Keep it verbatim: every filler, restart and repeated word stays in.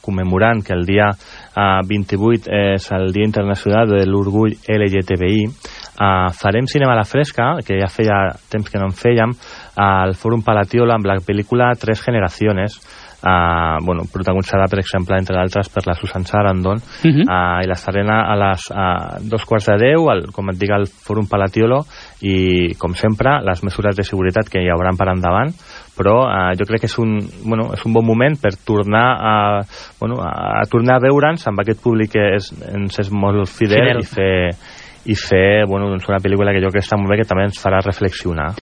commemorant que el dia uh, vint-i-vuit és el Dia Internacional de l'Orgull L G T B I, uh, farem cinema a la fresca, que ja feia temps que no en fèiem, al Fòrum Palatiola amb la pel·lícula Tres Generaciones, Uh, bueno, protagonitzada per exemple entre d'altres per la Susan Sarandon, uh -huh. uh, i l'estarem a les uh, dos quarts de deu al, com et dic, al Fòrum Palatiolo, i com sempre les mesures de seguretat que hi haurà per endavant, però uh, jo crec que és un, bueno, és un bon moment per tornar a, bueno, a, a tornar a veure'ns amb aquest públic que és, ens és molt fidel, fidel. i fer i fer bueno, doncs una pel·lícula que jo crec que està molt bé, que també ens farà reflexionar.